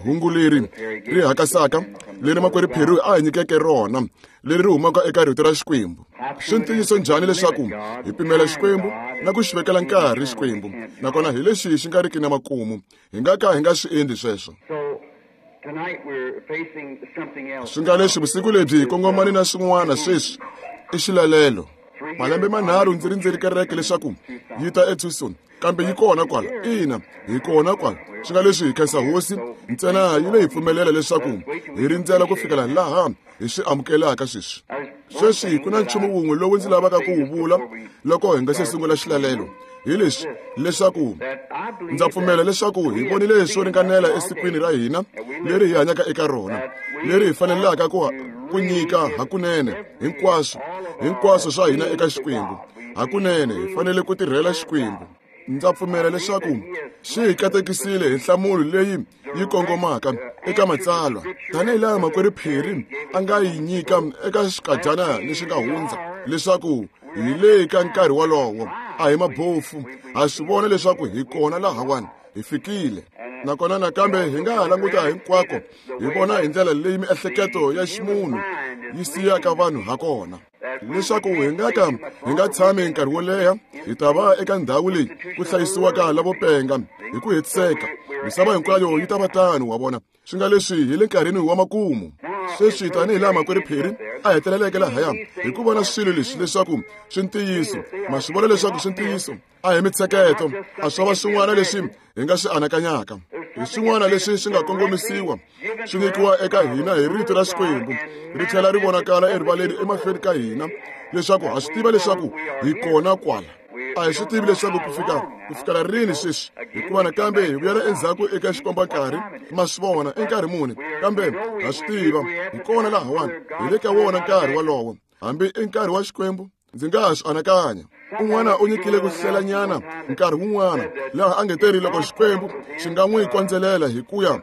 Hungu leri ri hakasaka leri makwerhu Perry a hi nyikeke rona leri ri humaka eka rito ra Xikwembu. Swi ntiyiso njhani leswaku hi pimela Xikwembu na ku xi vekela nkarhi Xikwembu, nakona hi lexi xi nga riki na makumu. Hi nga ka hi nga swi endli sweswo. Swi nga leswi vusiku lebyi hi kongomane na swin'wana sweswi i xilalelo. Malembe manharhu ndzi rindzeri kereke leswaku yi ta eTucson, kambe yi kona kwala. Ina, hi kona kwala. Swi nga leswi hi khensa Hosi ntsena yi le hi pfumelela leswaku hi rindzela ku fikela laha hi swi amukelaka sweswi. Sweswi ku na nchumu wun'we lowu ndzi lavaka ku wu vula loko hi nga se sungula xilalelo, hi leswi, leswaku ndza pfumela leswaku hi vonile swo ringanela esikwini ra hina leri hi hanyaka eka rona, leri hi fanelaka ku nyika hakunene hinkwaswo, hinkwaswo swa hina eka Xikwembu. Hakunene hi fanele ku tirhela Xikwembu. Ndza pfumela leswaku xi hi katekisile hi nhlamulo leyi yi kongomaka eka matsalwa, tanihi laha makwerhu Perry a nga yi nyika eka xikadyana lexi nga hundza, leswaku hi le ka nkarhi wolowo. A hi mabofu, ha swi vona leswaku hi kona lahawani, hi fikile. Nakona nakambe hi nga ha languta hinkwako hi vona hi ndlela leyi miehleketo ya ximunhu yi siyaka vanhu ha kona, leswaku hi nga ka hi nga tshami nkarhi wo leha, hi ta va eka ndhawu leyi ku hlayisiwaka lavo penga hi ku hetiseka. Misava hinkwayo yi ta va tano, wa vona. Swi nga leswi hi le nkarhini wa makumu sweswi, tanihi laha makwerhu Perry a heteleleke lahaya hi ku vona swilo leswi leswaku swi ntiyiso. Ma swi vona leswaku swi ntiyiso. A hi mitsheketo, a swo va swin'wana leswi hi nga swi anakanyaka, hi swin'wana leswi swi nga kongomisiwa, swi nyikiwa eka hina hi rito ra Xikwembu, ri tlhela ri vonakala erivaleni emahlweni ka hina, leswaku ha swi tiva leswaku hi kona kwala. A hi swi tivi leswaku ku fika ku fikela rini sweswi, hikuva nakambe hi vuyela endzhaku eka xikombankarhi. Ma swi vona i nkarhi muni, kambe ha swi tiva hi kona lahawani, hi le ka wona nkarhi wolowo, hambi i nkarhi wa Xikwembu. Ndzi nga ha swi anakanya un'wana u nyikile ku hlelanyana nkarhi wun'wana laha a nge teri loko Xikwembu xi nga n'wi kondzelela hi ku ya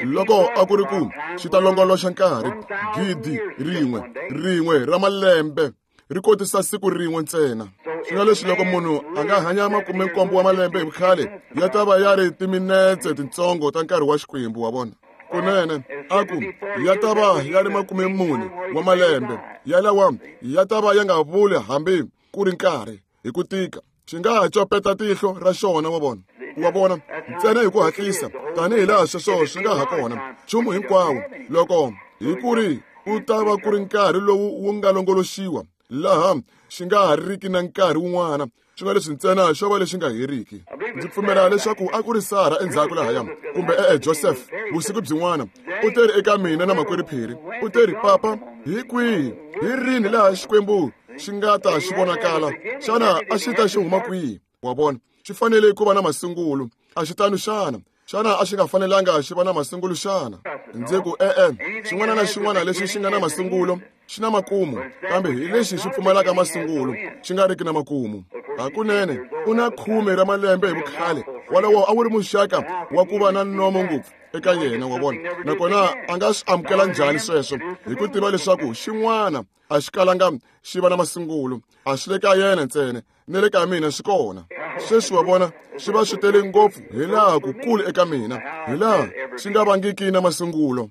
loko a ku ri ku xi ta longoloxa nkarhi 1,000 rin'we ra malembe ri kotisa siku rin'we ntsena. Swi nga leswi loko munhu a nga hanya 17 wa malembe hi vukhale, ya ta va ya ri timinetse tintsongo ta nkarhi wa Xikwembu, wa vona. Kunene a ku ya ta va ya ri 40 wa malembe, yalawa ya ta va ya nga vuli hambi ku ri nkarhi hi ku tika. Xi nga ha copeta tihlo ra xona, wa vona, wa vona, ntsena hi ku hatlisa tanihi laha sweswo swi nga ha kona. Nchumu hinkwawo loko hi ku ri ku ta va ku ri nkarhi lowu wu nga longoloxiwa laha xi nga ha riki na nkarhi wun'wana, swi nga leswi ntsena xo va lexi nga heriki. Ndzi pfumela leswaku a ku ri Sara endzhaku lahaya, kumbe e-e Joseph, vusiku byin'wana u teri eka mina na makwerhu Perry, u teri, Papa, hi kwihi, hi rini laha Xikwembu xi nga ta xi vonakala? Xana a xi ta xi huma kwihi? Wa vona, xi fanele ku va na masungulo. A xi tano xana? Xana a xi nga fanelanga xi va na masungulo xana? Ndzi ku, e-e, xin'wana na xin'wana lexi xi nga na masungulo xi na makumu, kambe hi lexi xi pfumalaka masungulo xi nga riki na makumu. Hakunene u na 10 ra malembe hi vukhale, walowo a wu ri muxaka wa ku va na nomo ngopfu eka yena, wa vona. Nakona a nga swi amukela njhani sweswo, hi ku tiva leswaku xin'wana a xi kalanga xi va na masungulo, a swi le ka yena ntsena, ni le ka mina swi kona. Sweswi wa vona, swi va swi tele ngopfu hi laha kukulu eka mina, hi laha swi nga vangiki na masungulo.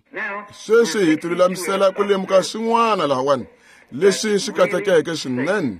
Sweswi hi tilulamisela ku lemuka swin'wana lahawani leswi swi katekeke swinene.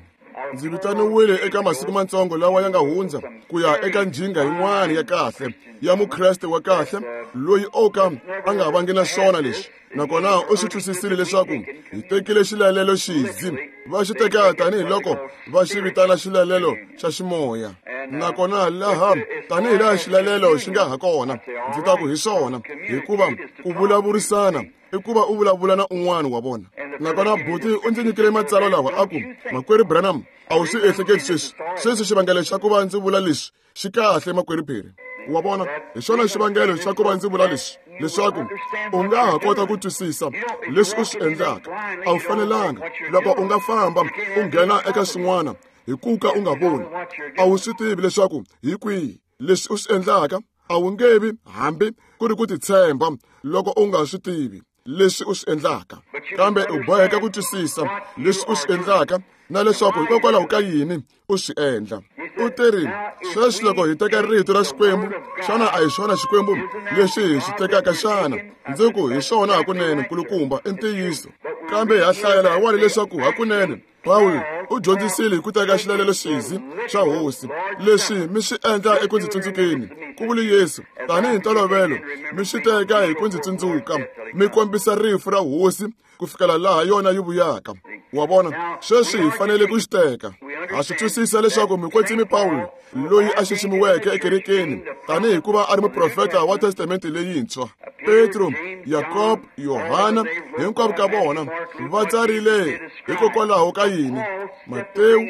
Ndzi vitaniwile eka masiku matsongo lawa ya nga hundza ku ya eka njhinga yin'wana ya kahle ya Mukreste wa kahle loyi o ka a nga vangi na swona leswi, nakona u swi twisisile leswaku hi tekile xilalelo xizi, va xi teka tanihiloko va xi vitana xilalelo xa ximoya. Nakona laha tanihi laha xilalelo xi nga ha kona, ndzi ta ku hi swona, hikuva ku vulavurisana i ku va u vulavula na un'wana, wa vona. Nakona buti u ndzi nyikile matsalwa lawa, a ku, Makwerhu Branham, a wu swi ehleketi sweswi, sweswi xivangelo xa ku va ndzi vula leswi xi kahle, makwerhu Perry, wa vona. Hi xona xivangelo xa ku va ndzi vula leswi, leswaku u nga ha kota ku twisisa leswi u swi endlaka. A wu fanelanga, loko u nga famba u nghena eka swin'wana hi ku ka u nga voni, a wu swi tivi leswaku hi kwihi leswi u swi endlaka. A wu nge vi hambi ku ri ku titshemba loko u nga swi tivi. leswi u swi endlaka, kambe u boheka ku twisisa leswi u swi endlaka na leswaku hikokwalaho ka yini u swi endla. U teri, sweswi loko hi teka rito ra Xikwembu, xana a hi xona Xikwembu lexi hi xi tekaka xana? Ndzi ku hi xona hakunene, nkulukumba, i ntiyiso. Kambe ha hlaya lahawani leswaku hakunene Pawulo u dyondzisile hi ku teka xilalelo xizi xa Hosi. Leswi mi swi endla eku ndzi tsundzukeni, ku vule Yesu, tanihi ntolovelo mi swi teka hi ku ndzi tsundzuka, mi kombisa rifu ra Hosi ku fikela laha yona yi vuyaka. Wa vona, sweswi hi fanele ku xi teka. Ha swi twisisa leswaku mukwetsimi Pawulo, loyi a xiximiweke ekerekeni tanihi ku va a ri muprofeta wa Testamente leyintshwa, Petro, Yakob, Yohana, hinkwavo ka vona va tsarile hikokwalaho ka yini? Matewu,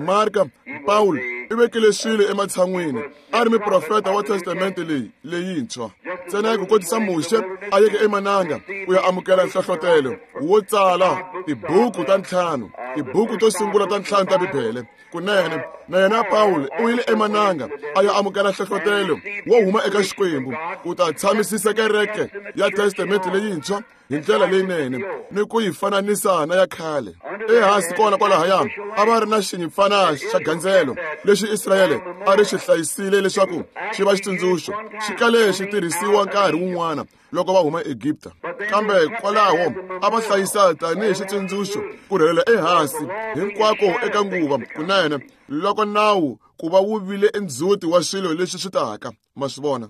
Marka, Pawulo i vekile swilo ematshan'wini a ri muprofeta wa Testamente leyi leyintshwa. Ntsena hi ku kotisa Muxe a yeke emananga ku ya amukela nhlohlotelo wo tsala tibuku ta ntlhanu, tibuku to sungula ta ntlhanu ta Bibele. Kunene na yena Pawulo u yile emananga a ya amukela nhlohlotelo wo huma eka Xikwembu ku ta tshamisisa kereke ya Testamente leyintshwa hi ndlela leyinene ni ku yi fananisa na ya khale. Ehansi kona kwalahaya a va ri na xinyimpfana xa gandzelo lexi Israyele a ri xi hlayisile leswaku xi va xitsundzuxo. Xi kale xi tirhisiwa nkarhi wun'wana loko va huma Egipta, kambe kwalaho a va hlayisa tanihi xitsundzuxo ku rhelela ehansi hinkwako eka nguva. Kunene loko nawu ku va wu vile endzhuti wa swilo leswi swi taka. Ma swi vona?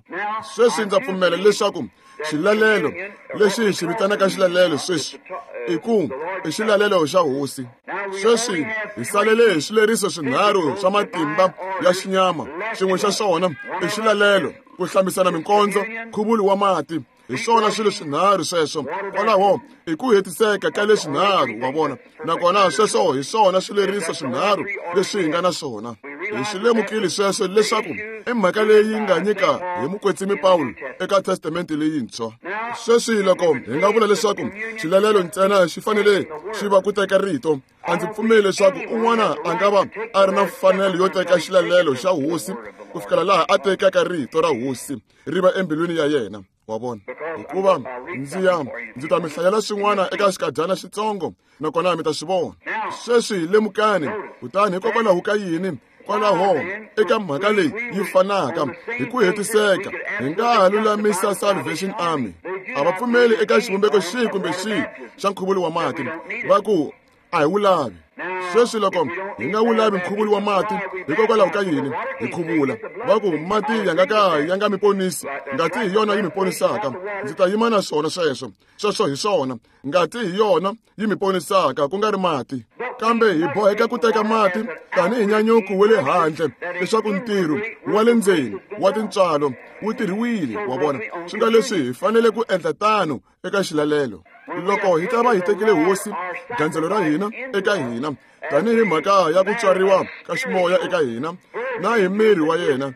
Sweswi ndza pfumela leswaku xilalelo lexi hi xi vitanaka xilalelo sweswi i ku i xilalelo xa Hosi. Sweswi hi salele hi swileriso swinharhu swa matimba ya xinyama. Xin'we xa swona i xilalelo, ku hlambisana minkondzo, nkhuvulo wa mati. Hi swona swilo swinharhu sweswo. Kwalaho i ku hetiseka ka leswinharhu, wa vona. Nakona sweswo hi swona swileriso swinharhu leswi hi nga na swona. Hi swi lemukile sweswo leswaku i mhaka leyi nga nyika hi mukwetsimi Pawulo eka Testamente leyintshwa. Sweswi loko hi nga vula leswaku xilalelo ntsena xi fanele xi va ku teka rito, a ndzi pfumeli leswaku un'wana a nga va a ri na mfanelo yo teka xilalelo xa Hosi ku fikela laha a tekaka rito ra Hosi ri va embilwini ya yena. Wa vona? Hikuva ndzi ya ndzi ta mi hlayela swin'wana eka xikadyana xitsongo, nakona mi ta swi vona. Sweswi lemukani, kutani hikokwalaho ka yini kwalaho eka mhaka leyi yi fanaka hi ku hetiseka hi nga ha lulamisa Salvation Army. A va pfumeli eka xivumbeko xihi kumbe xihi xa nkhuvulo wa mati. Va ku a hi wu lavi. Sweswi loko hi nga wu lavi nkhuvulo wa mati, hikokwalaho ka yini hi khuvula? Va ku mati ya nga ka ya nga mi ponisi, ngati hi yona yi mi ponisaka. Ndzi ta yima na swona sweswo. Sweswo hi swona, ngati hi yona yi mi ponisaka, ku nga ri mati. Kambe hi boheka ku teka mati tanihi nyanyuko wa le handle leswaku ntirho wa le ndzeni wa tintswalo wu tirhiwile. Wa vona? Swi nga leswi hi fanele ku endla tano eka xilalelo. Loko hi ta va hi tekile Hosi gandzelo ra hina eka hina tanihi mhaka ya ku tswariwa ka ximoya eka hina na hi miri wa yena,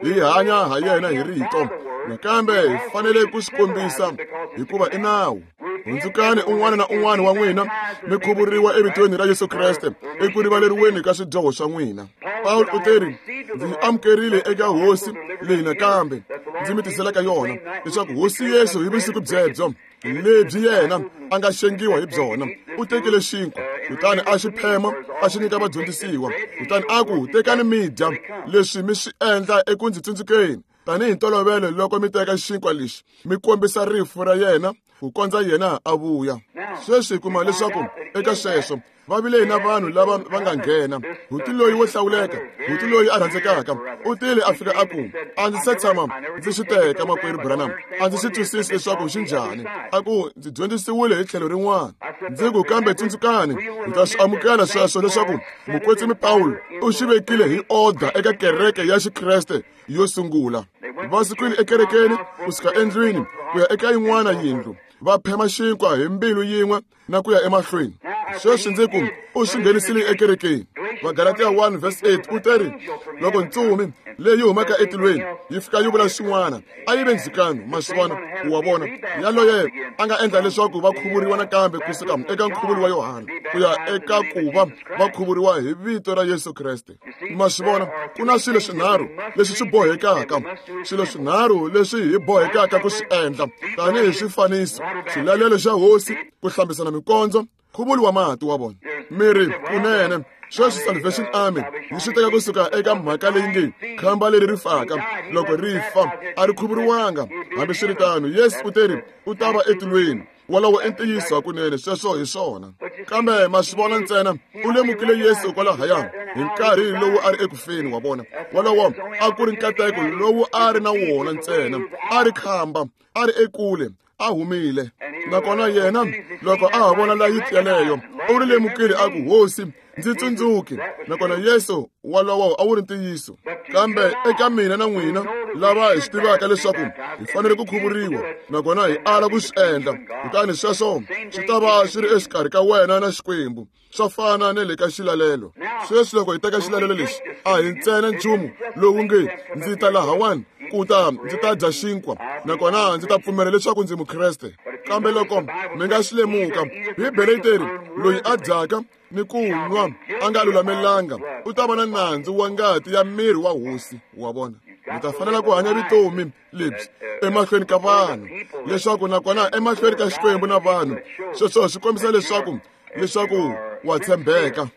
hi hanya ha yena hi rito. Nakambe hi fanele ku swi kombisa hikuva i nawu. Hundzukani un'wana na un'wana wa n'wina mi khuvuriwa evitweni ra Yesu Kreste eku rivaleriweni ka swidyoho swa n'wina. Pawulo u teri, ndzi yi amukerile eka Hosi leyi nakambe ndzi mi tiselaka yona, leswaku Hosi Yesu hi vusiku byebyo lebyi yena a nga xengiwa hi byona, u tekile xinkwa, kutani a xi phema a xi nyika vadyondzisiwa, kutani a ku, tekani mi dya, leswi mi swi endla eku ndzi tsundzukeni. Tanihi ntolovelo loko mi teka xinkwa lexi mi kombisa rifu ra yena ku kondza yena a vuya. Sweswi hi kuma leswaku eka sweswo va vile na vanhu lava va nga nghena. Huti loyi wo hlawuleka, huti loyi a rhandzekaka, u tile a fika a ku, a ndzi se tshama ndzi swi teka, makwerhu Branham, a ndzi swi twisisi leswaku xi njhani. A ku, ndzi dyondzisiwile hi tlhelo rin'wana. Ndzi ku, kambe tsundzukani, hi ta swi amukela sweswo leswaku mukwetsimi Pawulo u xi vekile hi oda eka kereke ya Xikreste yo sungula. Va sukile ekerekeni kusuka endlwini ku ya eka yin'wana yindlu, va phema xinkwa hi mbilu yin'we na ku ya emahlweni. Sweswi ndzi ku u swi nghenisile ekerekeni. Vagalatiya 1 verse 8 u teri loko ntsumi leyi humaka etilweni yi fika yi vula xin'wana a yi ve ndzhukano. Ma swi vona? Wa vona, yaloye a nga endla leswaku va khuvuriwa nakambe kusuka eka nkhuvulo wa Yohana ku ya eka ku va va khuvuriwa hi vito ra Yesu Kreste. Ma swi vona, ku na swilo swinharhu leswi swi bohekaka, swilo swinharhu leswi hi bohekaka ku swi endla tanihi swifaniso: xilalelo xa Hosi, ku hlambisana mikondzo, nkhuvulo wa mati. Wa vona, miri kunene sweswi Salvation Army yi swi teka kusuka eka mhaka leyi nge khamba leri ri faka loko ri fa a ri khuvuriwanga. Hambiswiritano, Yesu u teri u ta va etilweni. Wolowo i ntiyiso hakunene, sweswo hi swona. Kambe ma swi vona, ntsena u lemukile Yesu kwalahaya hi nkarhi lowu a ri ekufeni. Wa vona, wolowo a ku ri nkateko lowu a ri na wona ntsena. A ri khamba, a ri ekule, a humile. Nakona yena loko a ha vona layiti yaleyo, u ri lemukile, a ku, Hosi, ndzi tsundzuki. Nakona Yesu, walowo a wu ri ntiyiso. Kambe eka mina na n'wina lava hi swi tivaka leswaku hi fanele ku khuvuriwa, nakona hi ala ku swi endla, kutani sweswo swi ta va swi ri exikarhi ka wena na Xikwembu. Swa fana na le ka xilalelo. Sweswi loko hi teka xilalelo lexi, a hi ntsena nchumu lowu nge ndzi ta lahawani ku ta ndzi ta dya xinkwa nakona ndzi ta pfumela leswaku ndzi Mukreste. Kambe loko mi nga swi lemuka, Bibele yi teri loyi a dyaka ni ku nwa a nga lulamelanga u ta va na nandzu wa ngati ya miri wa Hosi. Wa vona, mi ta fanela ku hanya vutomi lebyi emahlweni ka vanhu, leswaku nakona emahlweni ka Xikwembu na vanhu. Sweswo swi kombisa leswaku wa tshembeka.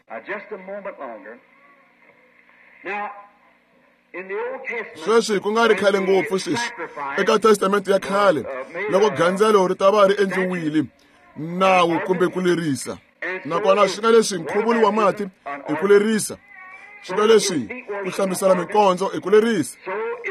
Sweswi ku nga ri khale ngopfu sweswi, eka Testamente ya khale, loko gandzelo ri ta va ri endliwile, nawu kumbe ku lerisa, nakona swi nga leswi nkhuvulo wa mati i ku lerisa, swi nga leswi ku hlambisana mikondzo i ku lerisa,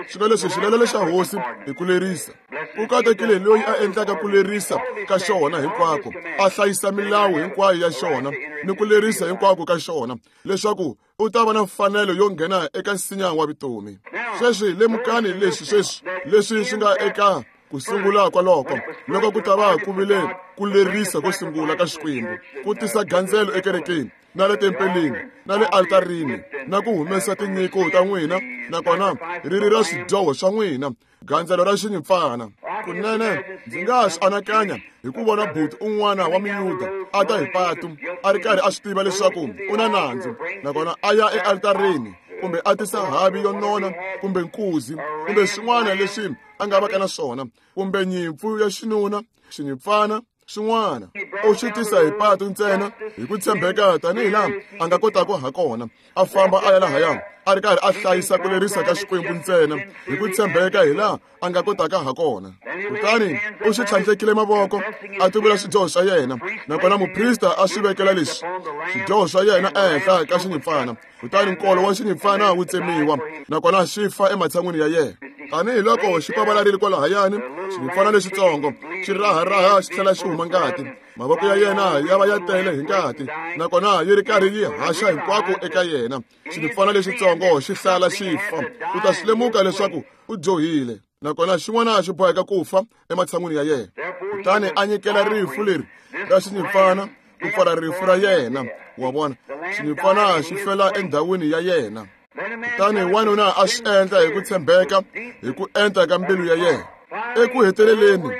swi nga leswi xilalelo xa Hosi i ku lerisa. Ku katekile loyi a endlaka ku lerisa ka xona hinkwako, a hlayisa milawu hinkwayo ya xona ni ku lerisa hinkwako ka xona, leswaku u ta va na mfanelo yo nghena eka nsinya wa vutomi. Sweswi lemukani leswi sweswi leswi swi nga eka ku sungula kwaloko, loko ku ta va ku vile ku lerisa ko sungula ka Xikwembu ku tisa gandzelo ekerekeni na le tempeleni na le altarini na ku humesa tinyiko ta n'wina, nakona ri ri ra swidyoho swa n'wina, gandzelo ra xinyimpfana. Kunene ndzi nga swi anakanya hi ku vona buti un'wana wa Muyuda a ta hi patu a ri karhi a swi tiva leswaku u na nandzu, nakona a ya ealtarini kumbe a tisa havi yo nona kumbe nkuzi kumbe swin'wana leswi a nga vaka na swona, kumbe nyimpfu ya xinuna, xinyimpfana swin'wana, u swi tisa hi patu ntsena hi ku tshembeka tanihi laha a nga kotaka ha kona, a famba a ya lahaya a ri karhi a hlayisa ku lerisa ka Xikwembu ntsena hi ku tshembeka hi laha a nga kotaka ha kona. Kutani u swi tlhandlekile mavoko a tivula swidyoho swa yena, nakona muprista a swi vekela leswi swidyoho swa yena ehenhla ka xinyimpfana, kutani nkolo wa xinyimpfana wu tsemiwa, nakona xi fa ematshan'wini ya yena. Tanihi loko xi pavalarile kwalahayani, xinyimpfana lexitsongo xi raharaha xi tlhela xi huma ngati, mavoko ya yena ya va ya tele hi ngati, nakona yi ri karhi yi haxa hinkwako eka yena. Xinyimpfana lexitsongo xi hlala xi fa. U ta swi lemuka leswaku u dyohile, nakona xin'wana xi boheka ku fa ematshan'wini ya yena. Kutani a nyikela rifu leri ra xinyimpfana ku pfala rifu ra yena. Wa vona, xinyimpfana xi fela endhawini ya yena. Kutani wanuna a swi endla hi ku tshembeka, hi ku enta ka mbilu ya yena. Eku heteleleni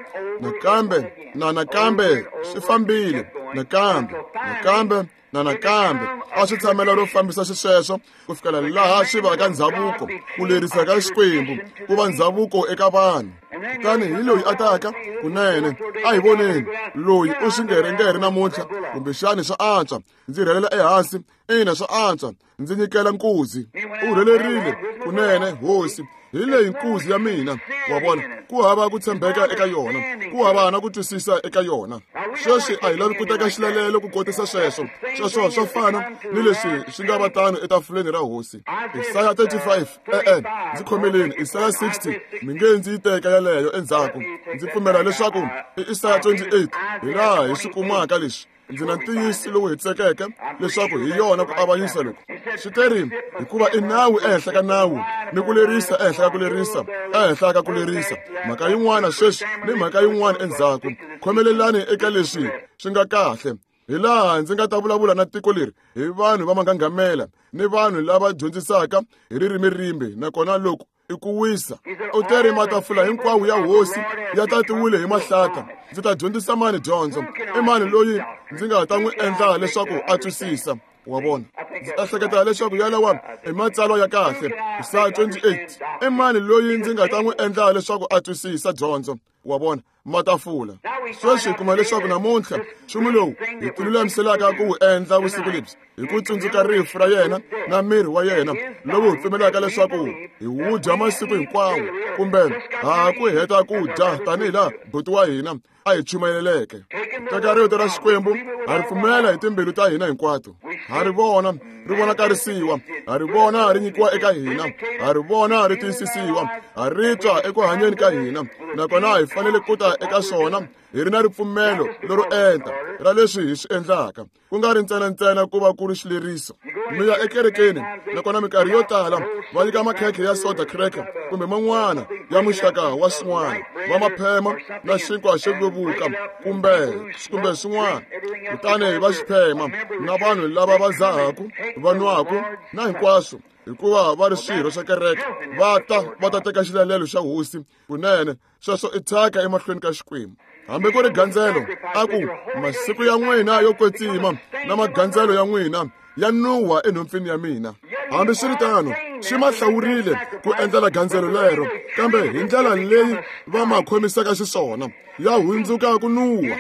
nakambe na nakambe swi fambile, nakambe nakambe na nakambe a swi tshamela ro fambisa xisweswo ku fikela laha swi vaka ndzhavuko, ku lerisa ka Xikwembu ku va ndzhavuko eka vanhu. Kutani hi loyi a taka kunene, a hi voneni loyi u swi ngerengere namuntlha, kumbexani swa antswa ndzi rhelela ehansi, ina swa antswa ndzi nyikela nkuzi. U rhelerile kunene, Hosi, hi leyi nkuzi ya mina. Wa vona, ku hava ku tshembeka eka yona, ku hava na ku twisisa eka yona. Sweswi a hi lavi ku teka xilalelo ku kotisa sweswo. Sweswo swa fana ni leswi swi nga va tano etafuleni ra Hosi. Isaya 35, e-e, ndzi khomeleni Isaya 60, mi nge ndzi yi teka yaleyo endzhaku. Ndzi pfumela leswaku i Isaya 28 hi laha hi swi kumaka leswi. Ndzi na ntiyiso lowu hetisekeke leswaku hi yona ku avanyisa loku. Swi teri hikuva i nawu ehenhla ka nawu, ni ku lerisa ehenhla ka ku lerisa, ehenhla ka ku lerisa, mhaka yin'wana sweswi ni mhaka yin'wana endzhaku. Khomelelani eka leswi swi nga kahle. Hi laha ndzi nga ta vulavula na tiko leri hi vanhu va manghanghamela ni vanhu lava dyondzisaka hi ririmi rimbe, nakona loko i ku wisa. U teri matafula hinkwawo ya hosi ya tatiwile hi mahlata. Ndzi ta dyondzisa mani dyondzo? I mani loyi ndzi nga ta n'wi endla leswaku a twisisa? Wa vona, ndzi ehleketa leswaku yalawa i matsalwa ya kahle. Isaya 28. I mani loyi ndzi nga ta n'wi endla leswaku a twisisa dyondzo? Wa vona, matafula. Sweswi hi kuma leswaku namuntlha nchumu lowu hi tilulamiselaka ku wu endla vusiku lebyi hi ku tsundzuka rifu ra yena na miri wa yena lowu hi pfumelaka leswaku hi wu dya masiku hinkwawo, kumbe ha ku heta ku dya tanihi laha buti wa hina a hi chumayeleleke. Teka rito ra Xikwembu, ha ri pfumela hi timbilu ta hina hinkwato, ha ri vona ri vonakarisiwa, ha ri vona ri nyikiwa eka hina, ha ri vona ri tiyisisiwa, ha ri twa eku hanyeni ka hina, nakona hi fanele ku ta eka swona hi ri na ripfumelo lero enta ra leswi hi swi endlaka, ku nga ri ntsena ku va ku ri xileriso. Mi ya ekerekeni, nakona minkarhi yo tala va nyika makhekhe ya soda cracker kumbe man'wana ya muxaka wa swin'wana, va maphema na xinkwa xo vevuka kumbe swin'wana, kutani va xi phema na vanhu lava va zahaku, va nwaku na hinkwaswo, hikuva va ri swirho swa kereke, va ta teka xilalelo xa hosi. Kunene sweswo i thyaka emahlweni ka Xikwembu. Hambi ku ri gandzelo, a ku masiku ya n'wina yo kwetsima na magandzelo ya n'wina ya nuwa enhompfini ya mina. Hambiswiritano, swi ma hlawurile ku endlela gandzelo lero, kambe hi ndlela leyi va ma khomisaka xiswona, ya hundzuka ku nuwa,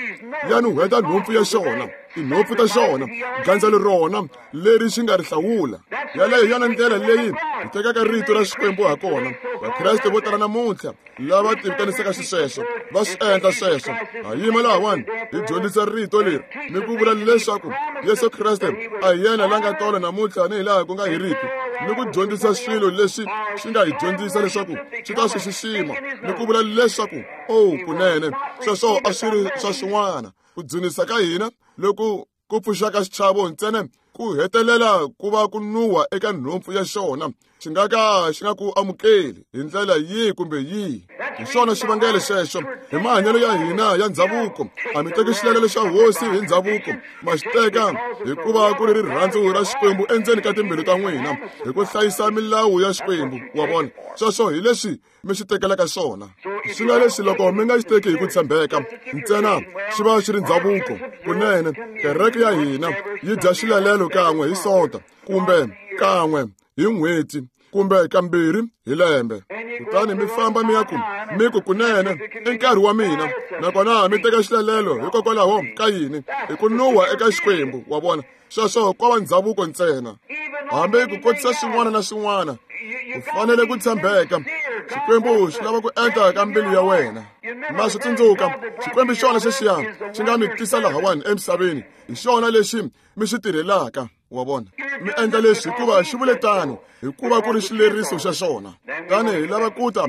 ya nuhweta nhompfu ya xona, tinhompfu ta xona, gandzelo rona leri xi nga ri hlawula. Yaleyo hi yona ndlela leyi hi tekaka rito ra Xikwembu ha kona. Vakreste vo tala namuntlha lava tivitanisaka xisweswo va swi endla sweswo. Ha yima lahawani hi dyondzisa rito leri ni ku vula leswaku Yesu Kreste a hi yena la nga tolo namuntlha ni hi laha ku nga heriki, ni ku dyondzisa swilo leswi swi nga hi dyondzisa leswaku swi ta swi xixima, ni ku vula leswaku o kunene sweswo a swi ri swa swin'wana. Ku dzunisa ka hina loku ku pfuxaka xichavo ntsena ku hetelela ku va ku nuwa eka nhompfu ya xona, xi nga ka xi nga ku amukeli hi ndlela yihi kumbe yihi. Hi xona xivangelo xexo hi mahanyelo ya hina ya ndzhavuko, a mi teki xilalelo xa hosi hi ndzhavuko, ma xi teka hikuva ku ri rirhandzu ra Xikwembu endzeni ka timbilu ta n'wina, hi ku hlayisa milawu ya Xikwembu. Wa vona, sweswo hi leswi mi xi tekelaka xona. Swi nga leswi loko mi nga xi teki hi ku tshembeka ntsena, xi va xi ri ndzhavuko. Kunene kereke ya hina yi dya xilalelo kan'we hi Sonta, kumbe kan'we hi n'hweti, kumbe kambirhi hi lembe. Kutani mi famba mi ya ku mi ku kunene i nkarhi wa mina, nakona mi teka xilalelo hikokwalaho ka yini? Hi ku nuwa eka Xikwembu. Wa vona, sweswo ko va ndzhavuko ntsena. Hambi ku kotisa swin'wana na swin'wana, u fanele ku tshembeka. Xikwembu xi lava ku endla ka mbilu ya wena. Ma swi tsundzuka, Xikwembu xona xexiya xi nga mi tisa lahawani emisaveni, hi xona lexi mi xi tirhelaka. Wa vona, mi endla leswi hikuva xi vule tano, hikuva ku ri xileriso xa xona. Tani hi lava ku ta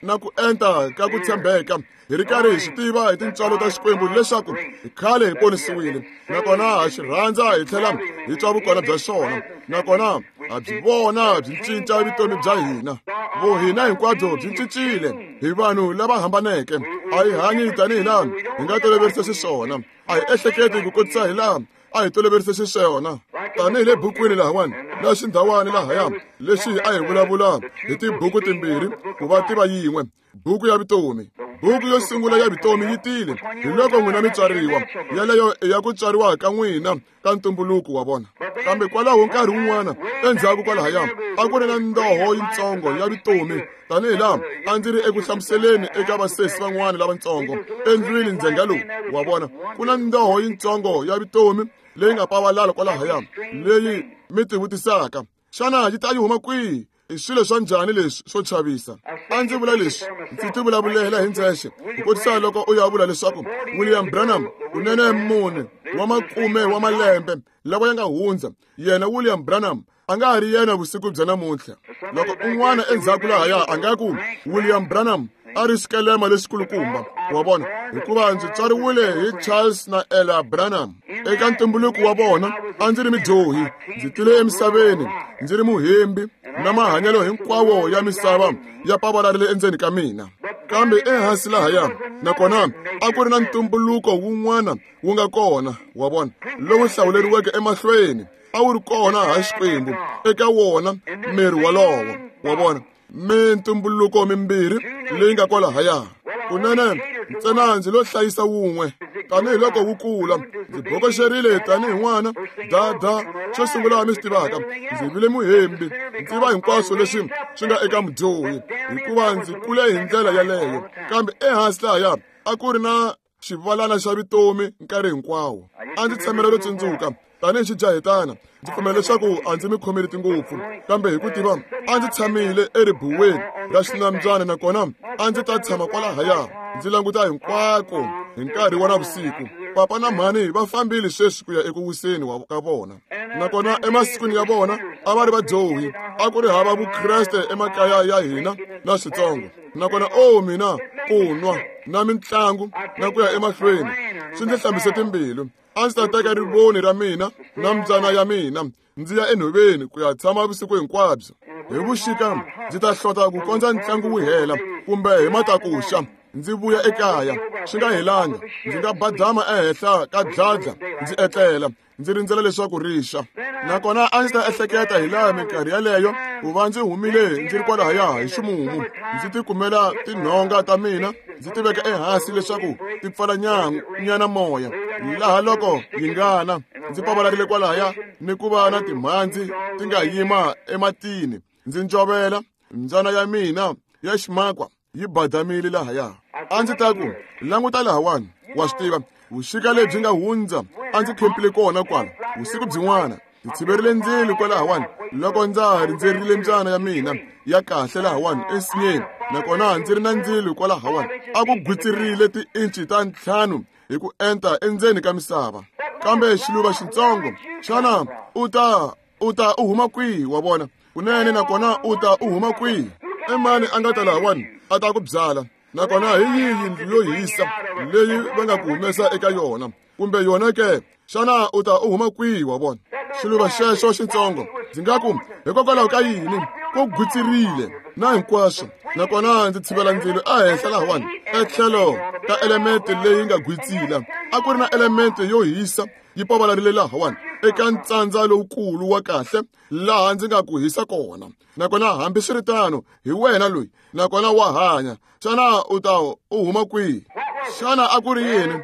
na ku enta ka ku tshembeka, hi ri karhi hi swi tiva hi tintswalo ta Xikwembu leswaku hi khale hi ponisiwile, nakona ha xi rhandza hi tlhela hi twa vukona bya xona, nakona ha byi vona byi cinca vutomi bya hina. Vuhina hinkwabyo byi cincile, hi vanhu lava hambaneke. A hi hanyi tanihi laha hi nga toloverisa xiswona, a hi ehleketi ku kotisa hi laha a hi toloverise xiswona, tanihi le bukwini lahawani na xindhawani lahaya lexi a hi vulavula hi tibuku timbirhi ku va tiva yin'we, buku ya vutomi. Buku yo sungula ya vutomi yi tile hi loko n'wina mi tswariwa, yaleyo i ya ku tswariwa ka n'wina ka ntumbuluko wa vona. Kambe kwalaho nkarhi wun'wana endzhaku kwalahaya a ku ri na ndoho yitsongo ya vutomi, tanihi laha a ndzi ri eku hlamuseleni eka vasesi van'wana lavatsongo endlwini ndzhenga lowu. Wa vona, ku na ndoho yitsongo ya vutomi leyi nga pavalala kwalahaya, leyi mi tivutisaka, xana yi ta yi huma kwihi? I swilo swa njhani leswi swo chavisa? A ndzi vula leswi, ndzi ti vulavulela hi ndzexe, ku kotisa loko u ya vula leswaku William Branham kunene mune wa makume wa malembe lawa ya nga hundza, yena William Branham a nga ha ri yena vusiku bya namuntlha. Loko un'wana endzhaku lahaya a nga ku William Branham A ri xikelema lexikulukumba, wa vona, hikuva ndzi tswariwile hi Charles na Ella Branham. Eka ntumbuluko wa vona a ndzi ri midyohi, ndzi tile emisaveni ndzi ri muhembi, na mahanyelo hinkwawo ya misava ya pavalarile endzeni ka mina. Kambe ehansi lahaya, nakona a ku ri na ntumbuluko wun'wana wu nga kona, wa vona, lowu hlawuleriweke emahlweni, a wu ri kona ha Xikwembu eka wona miri walowo, wa vona, mintumbuluko mimbirhi leyi nga kwalahaya. Kunene ntsena ndzi lo hlayisa wun'we tanihiloko wu kula, ndzi bokoxerile tanihi n'wana dada. Xo sungula mi swi tivaka, ndzi vile muhembi, ndzi va hinkwaswo leswi swi nga eka mudyohi, hikuva ndzi kule hi ndlela yaleyo. Kambe ehansi lahaya a ku ri na xivalana xa vutomi nkarhi hinkwawo. A ndzi tshamela ro tsundzuka tanihi xijahetana, ndzi pfumela leswaku a ndzi mi khomeleti ngopfu, kambe hi ku tiva a ndzi tshamile eribuweni ra xinambyana, nakona a ndzi ta tshama kwalahaya ndzi languta hinkwako hi nkarhi wa navusiku. Papa na mhani va fambile sweswi ku ya eku wiseni ka vona, nakona emasikwini ya vona a va ri vadyohi, a ku ri hava vukreste emakaya ya hina na switsongo. Nakona o mina ku nwa na mitlangu na ku ya emahlweni swi ndzi hlambise timbilu. A ndzi ta teka rivoni ra mina na mbyana ya mina ndzi ya enhoveni ku ya tshama vusiku hinkwabyo. Hi vuxika ndzi ta hlota ku kondza ntlangu wu hela, kumbe hi matakuxa ndzi vuya ekaya swi nga helanga, ndzi nga badama ehenhla ka dladla ndzi etlela, ndzi rindzela leswaku rixa. Nakona a ndzi ta ehleketa hi laha minkarhi yaleyo ku va ndzi humile ndzi ri kwalahaya hi ximumu, ndzi tikumela tinhonga ta mina ndzi ti veka ehansi leswaku ti pfala nyana moya, laha loko yi ngana ndzi pavalarile kwalahaya ni ku va na timhandzi ti nga yima ematini, ndzi ncovela mbyana ya mina ya ximakwa yi badamile lahaya. A ndzi ta ku languta lahawani, wa swi tiva, vuxika lebyi nga hundza a ndzi khempile kona kwala vusiku byin'wana, ndzi tshiverile ndzilo kwalahawani loko ndza ha rindzerile mbyana ya mina ya kahle lahawani ensinyeni, nakona ndzi ri na ndzilo kwalahawani, a ku gwitsirile tiinci ta 5 hi ku enta endzeni ka misava. Kambe xiluva xitsongo, xana u ta u huma kwihi, wa vona? Kunene nakona u ta u huma kwihi? I mani a nga ta lahawani a ta ku byala? Nakona hi yihi yindlu yo hisa leyi va nga ku humesa eka yona, kumbe yona ke? Xana u ta u huma kwihi, wa vona? Xiluva xexo xitsongo, ndzi nga ku hikokwalaho ka yini ku gwitsirile na hinkwaswo, nakona ndzi tshivela ndzilo ehenhla lahawani etlhelo ka elemente leyi nga gwitsila. A ku ri na elemente yo hisa yi pavalarile lahawani eka ntsandza lowukulu wa kahle laha ndzi nga ku hisa kona. Nakona hambiswiritano hi wena loyi, nakona wa hanya. Xana u ta u huma kwihi? Xana a ku ri yini?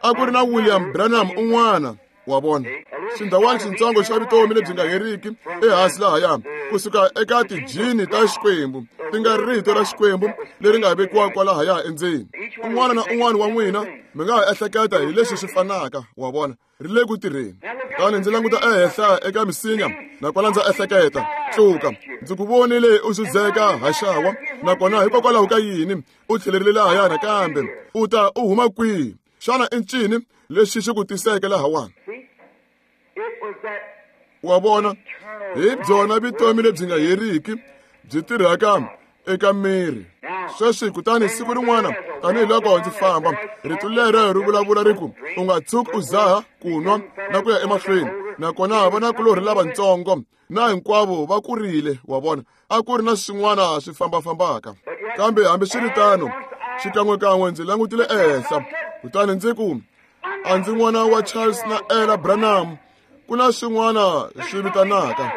A ku ri na William Branham un'wana, wa vona, xindhawana xitsongo xa vutomi lebyi nga heriki ehansi lahaya, kusuka eka tijini ta Xikwembu, ti nga rito ra Xikwembu leri nga vekiwa kwalahaya endzeni. Un'wana na un'wana wa n'wina mi nga ha ehleketa hi leswi swi fanaka, wa vona, ri le ku tirheni. Kutani ndzi languta ehenhla eka misinya, nakona ndza ehleketa, tluka, ndzi ku vonile u xudzeka haxawa, nakona hikokwalaho ka yini u tlhelerile lahaya nakambe? U ta u huma kwihi? Xana i ncini lexi xi ku tiseke lahawani? Wa vona, hi byona vutomi lebyi nga heriki byi tirhaka eka miri sweswi. Kutani siku rin'wana tanihiloko ndzi famba, rito lero ri vulavula ri ku, u nga tshuki u zaha ku nwa na ku ya emahlweni. Nakona vanakulorhi lavatsongo na hinkwavo va kurile, wa vona, a ku ri na swin'wana swi fambafambaka. Kambe hambiswiritano, xikan'wekan'we ndzi langutile ehenhla, kutani ndzi ku, a ndzi n'wana wa Charles na Ella Branham. Ku na swin'wana swi vitanaka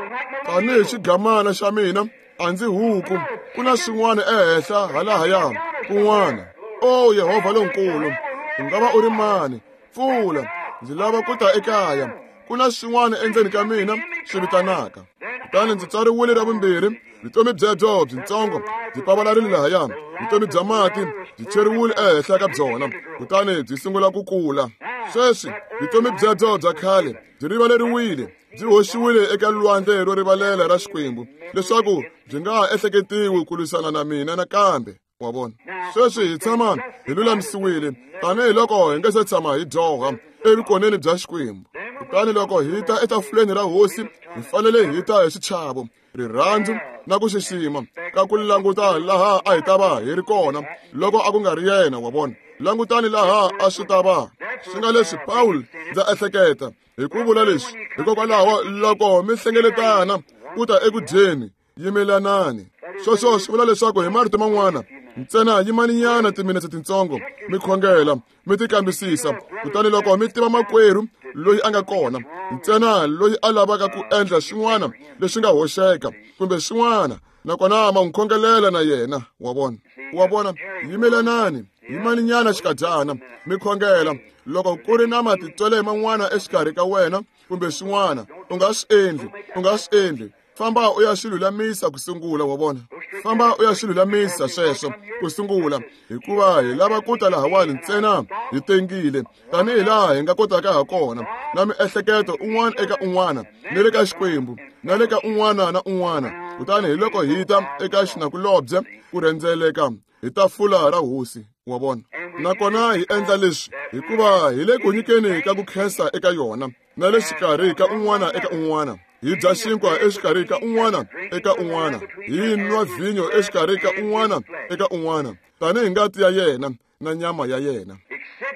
tanihi xigamana xa mina, a ndzi huku. Ku na swin'wana ehenhla halahaya kun'wana. O Yehovha lonkulu, u nga va u ri mani? Pfula, ndzi lava ku ta ekaya. Ku na swin'wana endzeni ka mina swi vitanaka. Kutani ndzi tswariwile ra vumbirhi, vutomi byebyo byitsongo byi pavalarile lahaya, vutomi bya mati byi cheriwile ehenhla ka byona, kutani byi sungula ku kula. Sweswi vutomi byebyo bya khale byi rivaleriwile, byi hoxiwile eka lwandle ro rivalela ra Xikwembu, leswaku byi nga ha ehleketiwi ku lwisana na mina nakambe. Wa vona, sweswi hi tshama hi lulamisiwile tanihiloko hi nga se tshama hi dyoha evukoneni bya Xikwembu. Kutani loko hi ta etafuleni ra Hosi, hi fanele hi ta hi xichavo, rirhandzu na ku xixima ka ku languta laha a hi ta va hi ri kona loko a ku nga ri yena, wa vona. Langutani laha a swi ta va. Swi nga leswi Paul ndza ehleketa hi ku vula leswi, hikokwalaho loko mi hlengeletana ku ta eku dyeni, yimelanani. Sweswo swi vula leswaku hi marito man'wana ntsena yimaninyana timinetse tintsongo mi khongela, mi tikambisisa, kutani loko mi tiva makwerhu loyi a nga kona ntsena loyi a lavaka ku endla swin'wana leswi nga hoxeka kumbe swin'wana, nakona ma n'wi khongelela na yena, wa vona. Wa vona, yimelanani, yimaninyana xikadyana mi khongela. Loko ku ri na matitwele man'wana exikarhi ka wena kumbe swin'wana, u nga swi endli, u nga swi endli. Famba u ya swi lulamisa ku sungula, wa vona. Famba u ya swi lulamisa sweswo ku sungula, hikuva hi lava ku ta lahawani ntsena hi tengile tanihi laha hi nga kotaka ha kona, na miehleketo un'wana eka un'wana, ni le ka Xikwembu, na le ka un'wana na un'wana. Kutani hi loko hi ta eka xinakulobye ku rhendzeleka hi tafula ra hosi, wa vona. Nakona hi endla leswi hikuva hi le ku nyikeni ka ku khensa eka yona, na le xikarhi ka un'wana eka un'wana. Hi dya xinkwa exikarhi ka un'wana eka un'wana, hi nwa vhinyo exikarhi ka un'wana eka un'wana, tanihi ngati ya yena na nyama ya yena.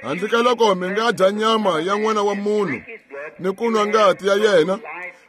Handle ka loko mi nga dya nyama ya n'wana wa munhu ni ku nwa ngati ya yena,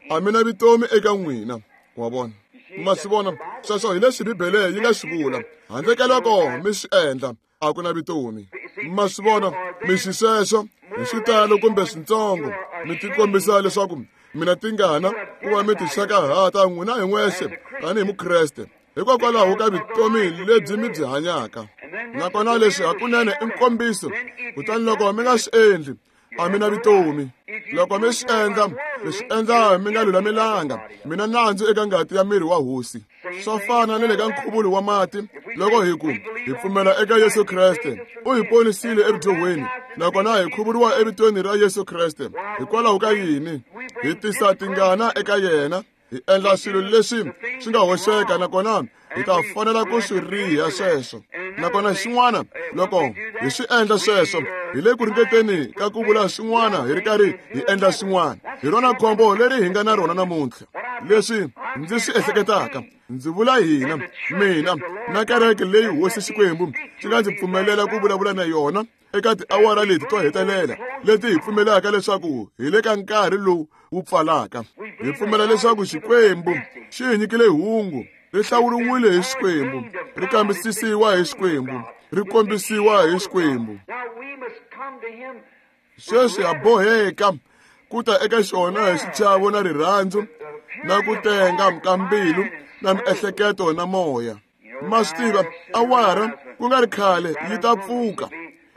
a mi na vutomi eka n'wina, wa vona. Ma swi vona, sweswo hi leswi Bibele yi nga swi vula. Handle ka loko mi swi endla, a ku na vutomi. Ma swi vona, mi xisweswo hi xitalo kumbe swintsongo mi tikombisa leswaku mina tingana ku va mi tixakahata n'wina hi n'wexe tanihi Mukreste, hikokwalaho ka vutomi lebyi mi byi hanyaka. Nakona leswi hakunene i nkombiso. Kutani loko mi nga swi endli, a mi na vutomi. Loko mi swi endla, mi swi endla mi nga lulamelanga, mi na nandzu eka ngati ya miri wa hosi. Swa fana ni le ka nkhuvulo wa mati, loko hi ku hi pfumela eka Yesu Kreste, u hi ponisile evudyohweni, nakona hi khuvuriwa evitweni ra Yesu Kreste. Hikwalaho ka yini? Hi tisa tingana eka yena, hi endla swilo leswi swi nga hoxeka, nakona hi ta fanela ku swi riha sweswo. Nakona xin'wana, loko hi swi endla sweswo, hi le ku ringeteni ka ku vula swin'wana hi ri karhi hi endla swin'wana. Hi rona khombo leri hi nga na rona namuntlha. Leswi ndzi swi ehleketaka, ndzi vula hina, mina na kereke leyi hosi Xikwembu xi nga ndzi pfumelela ku vulavula na yona eka tiawara leti to hetelela leti hi pfumelaka leswaku hi le ka nkarhi lowu wu pfalaka. Hi pfumela leswaku Xikwembu xi hi nyikile hungu, ri hlawuriwile hi Xikwembu, ri kambisisiwa hi Xikwembu, ri kombisiwa hi Xikwembu. Sweswi ha boheka ku ta eka xona hi xichavo na rirhandzu na ku tenga ka mbilu na miehleketo na moya. Ma swi tiva, awara ku nga ri khale yi ta pfuka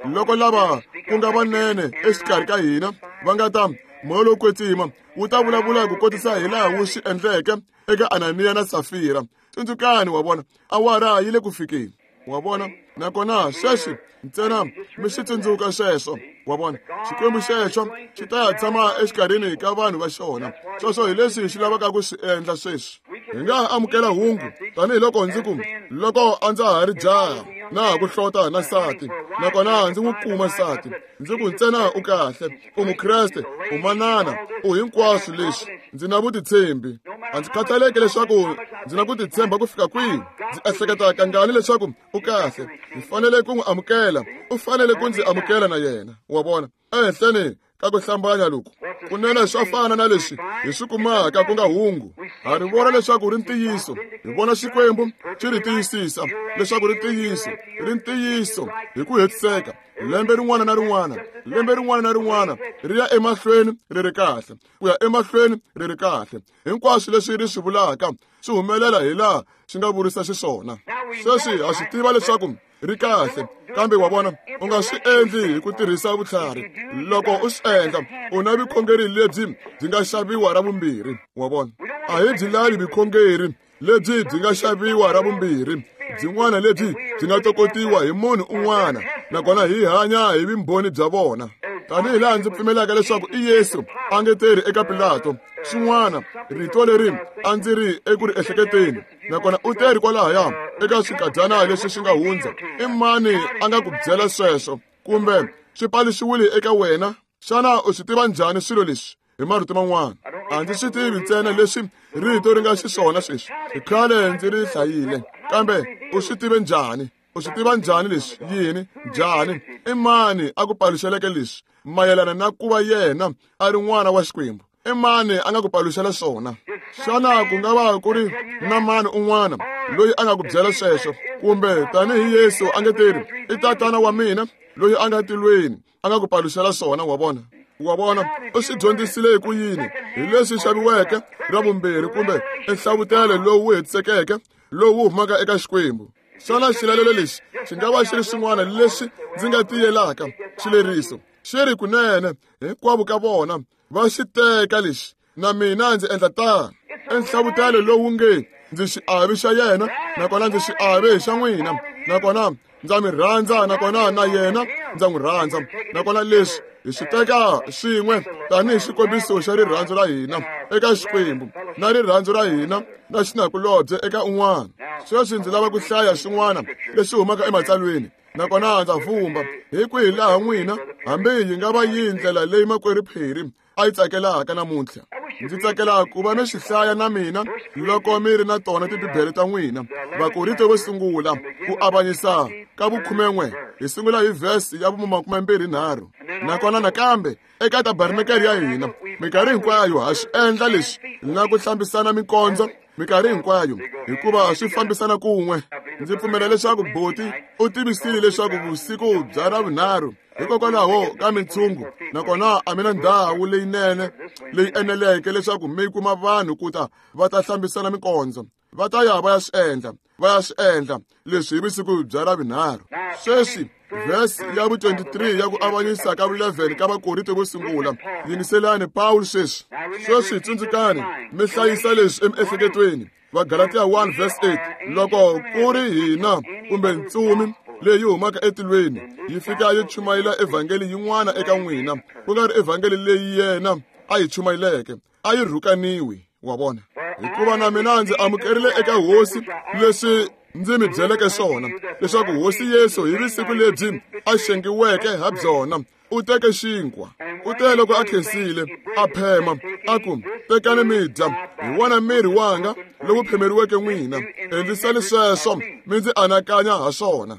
loko lava ku nga vanene exikarhi ka hina va nga ta moya lowo kwetsima wu ta vulavula ku kotisa hi laha wu swi endleke eka Ananiya na Safira. Tsundzukani, wa vona, awara yi le ku fikeni, wa vona. Nakona sweswi ntsena mi swi tsundzuka sweswo, wa vona. Xikwembu xexo xi ta ya tshama exikarhini ka vanhu va xona. Sweswo hi leswi xi lavaka ku swi endla sweswi. Hi nga ha amukela hungu tanihiloko ndzi ku loko a ndza ha ri jaha na ha ku hlota na nsati, nakona ndzi n'wi kuma nsati, ndzi ku ntsena u kahle, u Mukreste, u manana, u hinkwaswo leswi. Ndzi na vutitshembi. A ndzi khathaleki leswaku ndzi na ku titshemba ku fika kwihi, ndzi ehleketa kangani leswaku u kahle. Ndzi fanele ku n'wi amukela, u fanele ku ndzi amukela na yena, wa vona. Ehenhleni ka ku hlambanya loku kunene swa fana na leswi hi swi kumaka ku nga hungu. Ha ri vona leswaku ri ntiyiso, hi vona Xikwembu xi ri tiyisisa leswaku ri ntiyiso, ri ntiyiso hi ku hetiseka. Lembe rin'wana na rin'wana, lembe rin'wana na rin'wana ri ya emahlweni ri ri kahle, ku ya emahlweni ri ri kahle. Hinkwaswo leswi ri swi vulaka swi humelela hi laha swi nga vurisa xiswona. Sweswi ha swi tiva leswaku ri kahle, kambe wa vona, u nga swi endli hi ku tirhisa vutlhari. Loko u swi endla, u na vukhongeri lebyi byi nga xaviwa ra vumbirhi, wa vona. A hi byi lavi vukhongeri lebyi byi nga xaviwa ra vumbirhi, byin'wana lebyi byi nga tokotiwa hi munhu un'wana, nakona hi hanya hi vumbhoni bya vona. Tanihi laha ndzi pfumelaka leswaku i Yesu a nge tirhi eka Pilato, xin'wana rito leri a ndzi ri eku ri ehleketeni, nakona u teri kwalahaya eka swikadyana leswi swi nga hundza. I mani a nga ku byela sweswo, kumbe swi paluxiwile eka wena? Xana u swi tiva njhani swilo leswi? Hi marito man'wana, A ndzi swi tivi ntsena leswi rito ri nga xiswona sweswi. I khale ndzi ri hlayile, kambe u swi tive njhani? U swi tiva njhani leswi? Yini? Njhani? I mani a ku paluxeleke leswi mayelana na ku va yena a ri n'wana wa Xikwembu? I mani a nga ku paluxela swona? Xana ku nga va ku ri na mani un'wana loyi a nga ku byela sweswo? Kumbe tanihi Yesu a nge teri, i tatana wa mina loyi a nga tilweni a nga ku paluxela swona, wa vona? Wa vona, u swi dyondzisile hi ku yini? Hi leswi xaviweke ra vumbirhi kumbe enhlavutelo lowu hetisekeke lowu humaka eka Xikwembu. Xana xilalelo lexi xi nga va xi ri xin'wana lexi ndzi nga tiyelaka xileriso? Xi ri kunene, hinkwavo ka vona va xi teka lexi, na mina ndzi endla tano. Enhlavutelo lowu nge ndzi xiave xa yena, nakona ndzi xiave xa n'wina, nakona ndza mi rhandza, nakona na yena ndza n'wi rhandza. Nakona leswi hi swi teka swin'we tanihi xikombiso xa rirhandzu ra hina eka Xikwembu na rirhandzu ra hina na xinakulobye eka un'wana. Sweswi ndzi lava ku hlaya xin'wana lexi humaka ematsalweni, nakona ndza vumba hi kwihi laha n'wina hambi yi nga va yihi ndlela leyi makwerhu Phiri a yi tsakelaka namuntlha. Ndzi tsakela ku va mi swi hlaya na mina loko mi ri na tona tibibele ta n'wina. Vakorinte vo sungula, ku avanyisa ka vukhumen'we, hi sungula hi vhesi ya vumakumembirhi-nharhu. Nakona nakambe eka tabernakele ya hina minkarhi hinkwayo ha swi endla leswi na ku hlambisana mikondzo minkarhi hinkwayo, hikuva swi fambisana kun'we. Ndzi pfumela leswaku Boti u tivisile leswaku vusiku bya Ravunharhu hikokwalaho ka mintshungu, nakona a mi na ndhawu leyinene leyi eneleke leswaku mi kuma vanhu ku ta va ta hlambisana mikondzo. Va ta ya va ya swi endla, va ya swi endla leswi hi vusiku bya Ravunharhu. Sweswi vhesi ya vu-23 ya ku avanyisa ka vu-11 ka Vakorinte vo sungula. Yingiselani Pawulo sweswi. Sweswi tsundzukani, mi hlayisa leswi emiehleketweni. Vagalatiya 1 verse 8, loko ku ri hina kumbe ntsumi leyi humaka etilweni yi fika yi chumayela evhangeli yin'wana eka n'wina, ku nga ri evhangeli leyi yena a yi chumayeleke, a yi rhukaniwi. Wa vona? Hikuva na mina ndzi amukerile eka Hosi leswi ndzi mi byeleke swona, leswaku Hosi Yesu hi vusiku lebyi a xengiweke ha byona u teke xinkwa, u te loko a khensile a phema a ku, tekani mi dya, hi wona miri wanga lowu phemeriweke n'wina, endlisani sweswo mi ndzi anakanya ha swona.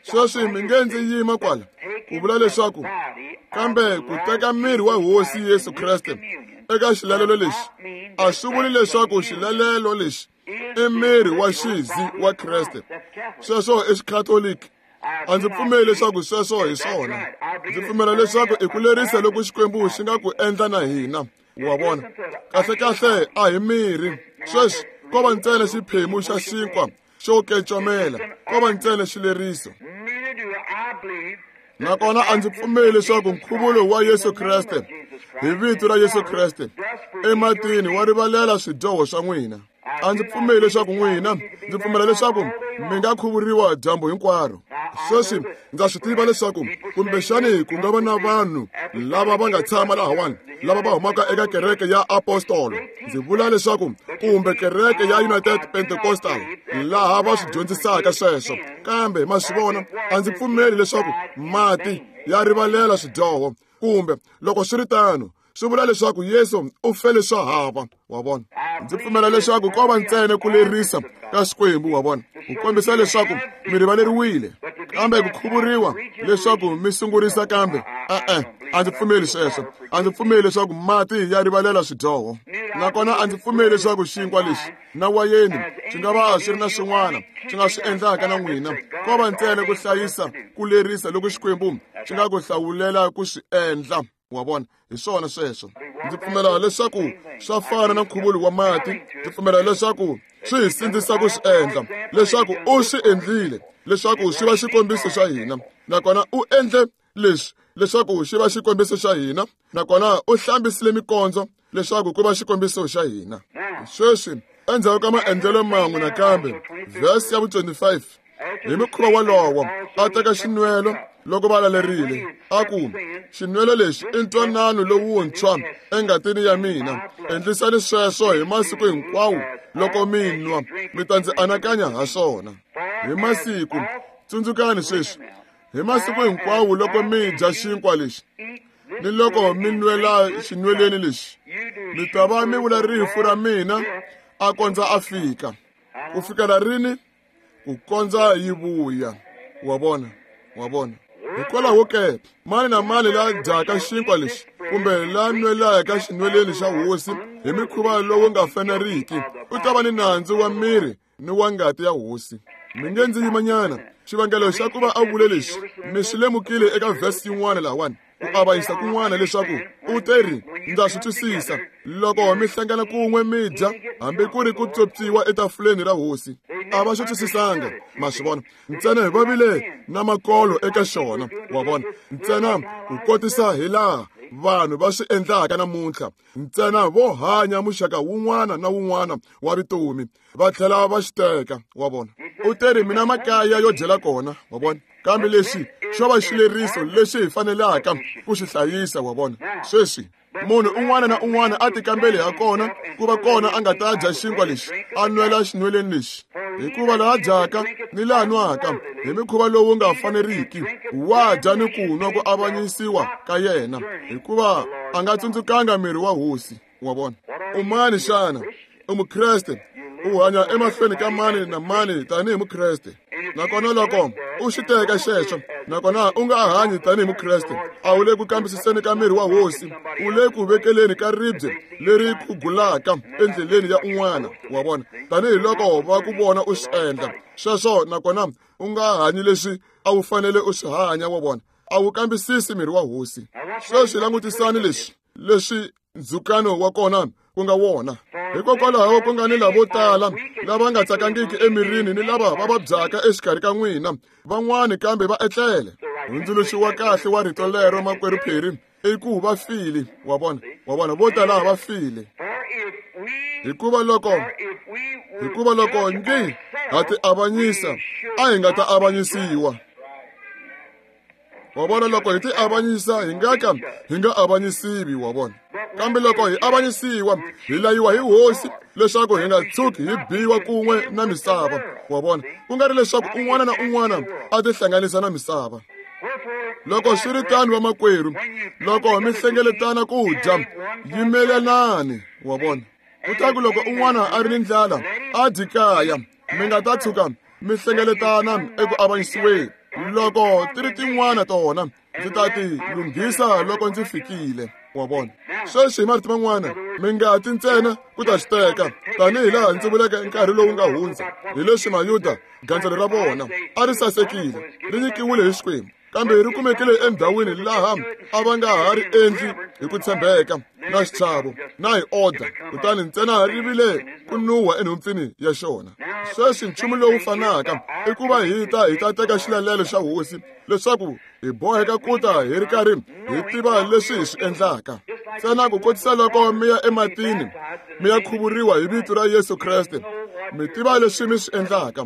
Sweswi mi nge ndzi yima kwala ku vula leswaku kambe ku teka miri wa Hosi Yesu Kreste eka xilalelo lexi a swi vuli leswaku xilalelo lexi i miri wa xizi wa Kreste. Sweswo i Xikhatoliki. A ndzi pfumeli leswaku sweswo hi swona. Ndzi pfumela leswaku i ku lerisa loku Xikwembu xi nga ku endla na hina. Wa vona? Kahlekahle a hi miri. Sweswi ko va ntsena xiphemu xa xinkwa xo kecomela, ko va ntsena xileriso. Nakona a ndzi pfumeli leswaku nkhuvulo wa Yesu Kreste hi vito ra Yesu Kreste ematini wa rivalela swidyoho swa n'wina. A ndzi pfumeli leswaku n'wina, ndzi pfumela leswaku mi nga khuvuriwa dyambu hinkwaro. Sweswi ndza swi tiva leswaku kumbexani ku nga va na vanhu lava va nga tshama lahawani lava va humaka eka kereke ya apostolo, ndzi vula leswaku kumbe kereke ya United Pentecostal laha va swi dyondzisaka sweswo, kambe ma swi vona, a ndzi pfumeli leswaku mati ya rivalela swidyoho, kumbe loko swi ri tano swi vula leswaku Yesu u fele swa hava. Wa vona? Ndzi pfumela leswaku ko va ntsena ku lerisa ka Xikwembu, wa vona, ku kombisa leswaku mi rivaleriwile, kambe ku khuvuriwa leswaku mi sungurisa kambe e-e, a ndzi pfumeli sweswo. A ndzi pfumeli leswaku mati ya rivalela swidyoho, nakona a ndzi pfumeli leswaku xinkwa lexi na wayeni swi nga va swi ri na swin'wana swi nga swi endlaka na n'wina. Ko va ntsena ku hlayisa ku lerisa loku Xikwembu xi nga ku hlawulela ku swi endla. Wa vona? Hi swona sweswo. Ndzi pfumela leswaku swa fana na nkhuvulo wa mati. Ndzi pfumela leswaku swi hi sindzisa ku swi endla, leswaku u swi endlile leswaku swi va xikombiso xa hina, nakona u endle leswi leswaku xi va xikombiso xa hina, nakona u hlambisile mikondzo leswaku ku va xikombiso xa hina. Sweswi endzhaku ka maendlelo man'we nakambe, vhesi ya vu-25, hi mukhuva wolowo a teka xinwelo loko va lalerile, a ku, xinwelo lexi i ntwanano lowuntshwa engatini ya mina, endlisani sweswo hi masiku hinkwawo loko mi nwa, mi ta ndzi anakanya ha swona. Hi masiku, tsundzukani sweswi, hi masiku hinkwawo loko mi dya xinkwa lexi ni loko mi nwela xinweleni lexi, Mi ta va mi vula rifu ra mina a kondza a fika. Ku fikela rini? Ku kondza yi vuya. Wa vona, wa vona. Hikwalaho ke, mani na mani la dyaka xinkwa lexi kumbe la nwelaka xinweleni xa hosi hi mikhuva lowu nga faneriki u ta va ni nandzu wa miri ni wa ngati ya hosi. Mi nge ndzi yimanyana. Xivangelo xa ku va a vule lexi mi swi lemukile eka vhesi yin'wana lahawani, ku avanyisa kun'wana leswaku u te ri, ndza swi twisisa loko mi hlangana kun'we mi dya hambi ku ri ku pyopyiwa etafuleni ra hosi. A va swi twisisanga, ma swi vona, ntsena va vile na makolo eka xona, wa vona, ntsena ku kotisa hi laha vanhu va swi endlaka namuntlha, ntsena vo hanya muxaka wun'wana na wun'wana wa vutomi va tlhela va xi teka, wa vona. U te ri mina makaya yo dyela kona, wa vona, kambe lexi xo va xileriso lexi hi fanelaka ku xi hlayisa, wa vona. Sweswi munhu un'wana na un'wana a tikambeli ha kona ku va kona a nga ta dya xinkwa lexi a nwela xinweleni lexi, hikuva laha dyaka ni laha nwaka hi mikhuva lowu nga faneriki wa dya ni ku nwa ku avanyisiwa ka yena, hikuva a nga tsundzukanga miri wa hosi, wa vona. U mani xana? U Mukreste, u hanya emahlweni ka mani na mani tanihi Mukreste. Nakona loko u xi teka xexo, nakona u nga hanyi tanihi Mukreste, a wu le ku kambisiseni ka miri wa hosi, u le ku vekeleni ka ribye leri khugulaka endleleni ya un'wana, wa vona, tanihiloko va ku vona u swi endla sweswo, nakona u nga hanyi leswi a wu fanele u swi hanya, wa vona, a wu kambisisi miri wa hosi. Sweswi langutisani leswi leswi ndzhukano wa kona ku nga wona. Hikokwalaho ku nga ni lavo tala lava nga tsakangiki emirini ni lava va vabyaka exikarhi ka n'wina, van'wani kambe va etlele. Hundzuluxo wa kahle wa rito lero, makwerhu Perry, i ku va file, wa vona, wa vona, vo tala va file. Hikuva loko ngi ha ti avanyisa, a hi nga ta avanyisiwa. Wa vona, loko hi ti avanyisa hi nga ka hi nga avanyisiwi, wa vona. Kambe loko hi avanyisiwa hi layiwa hi hosi leswaku hi nga tshuki hi biwa kun'we na misava, wa vona, ku nga ri leswaku un'wana na un'wana a tihlanganisa na misava. Loko swi ri tano, vamakwerhu, loko mi hlengeletana ku dya, yimelanani, wa vona. Kutaku loko un'wana a ri ni ndlala a dyi kaya, mi nga ta tshuka mi hlengeletana eku avanyisiweni. Loko ti ri tin'wana tona ndzi ta ti lunghisa loko ndzi fikile, wa vona. Sweswi hi marito man'wana, mi nga ti ntsena ku ta xi teka, tanihi laha ndzi vuleke nkarhi lowu nga hundza, hi leswi Mayuda gandzelo ra vona a ri sasekile, ri nyikiwile hi Xikwembu, kambe ri kumekile endhawini laha a va nga ha ri endli hi ku tshembeka na xichavo na hi order, kutani ntsena ri vile ku nuha enhompfini ya xona. Sweswi nchumu lowu fanaka i ku va hi ta teka xilalelo xa hosi leswaku hi boheka ku ta hi ri karhi hi tiva leswi hi swi endlaka. Ntsena ku kotisa loko mi ya ematini mi ya khuvuriwa hi vito ra Yesu Kreste, mi tiva leswi mi swi endlaka,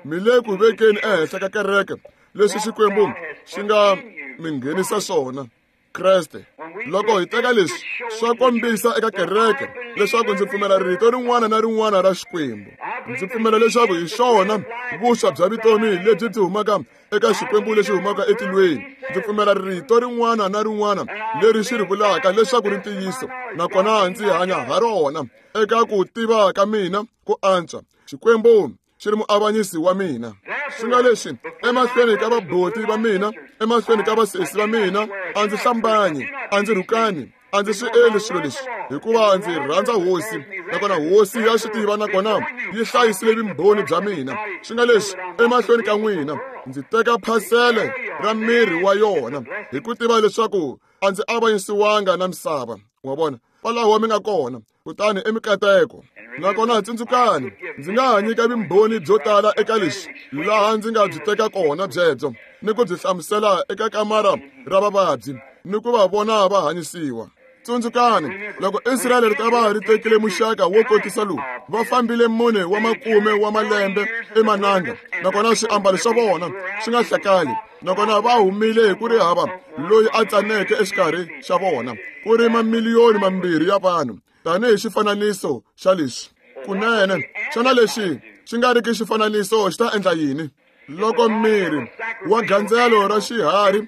mi le ku vekeni ehenhla ka kereke leswi Xikwembu xi nga mi nghenisa swona, Kreste. Loko hi teka leswi swa kombisa eka kereke leswaku ndzi pfumela rito rin'wana na rin'wana ra Xikwembu. Ndzi pfumela leswaku hi xona vuswa bya vutomi lebyi byi humaka eka Xikwembu lexi humaka etilweni. Ndzi pfumela rito rin'wana na rin'wana leri xi ri vulaka leswaku ri ntiyiso, nakona ndzi hanya ha rona eka ku tiva ka mina ku antswa. Xikwembu xi ri muavanyisi wa mina. Swi nga leswi emahlweni ka vaboti va mina, emahlweni ka vasesi va mina, a ndzi hlambanyi, a ndzi rhukani, a ndzi swi endli swilo leswi, hikuva ndzi rhandza hosi, nakona hosi ya swi tiva, nakona yi hlayisile vumbhoni bya mina. Swi nga leswi emahlweni ka n'wina ndzi teka phasele ra miri wa yona, hi ku tiva leswaku a ndzi avanyisiwanga na misava, wa vona, kwalaho mi nga kona. Kutani emikateko, nakona tsundzukani, ndzi nga ha nyika vumbhoni byo tala eka leswi laha ndzi nga byi teka kona byebyo ni ku byi hlamusela eka kamara ra vavabyi ni ku va vona va hanyisiwa. Tsundzukani, loko Israyele ri ta va ri tekile muxaka wo kotisa lowu, va fambile 4 wa makume wa malembe emananga, nakona swiambalo swa vona swi nga hlakali, nakona va humile hi ku ri hava loyi a tsaneke exikarhi xa vona, ku ri mamiliyoni 2 ya vanhu, tanihi xifananiso xa leswi. Kunene, xana lexi xi nga riki xifananiso xi ta endla yini? Loko miri wa gandzelo ra xiharhi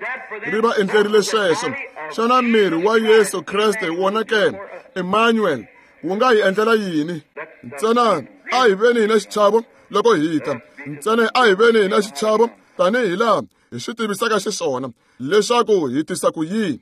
ri va endlerile sweswo, Xana miri wa Yesu Kreste wona ke, Emmanuel, wu nga hi endlela yini? Ntsena a hi veni hi na xichavo loko hi ta. Ntsena a hi veni hi na xichavo tanihi laha hi swi tivisaka xiswona leswaku hi tisa ku yini.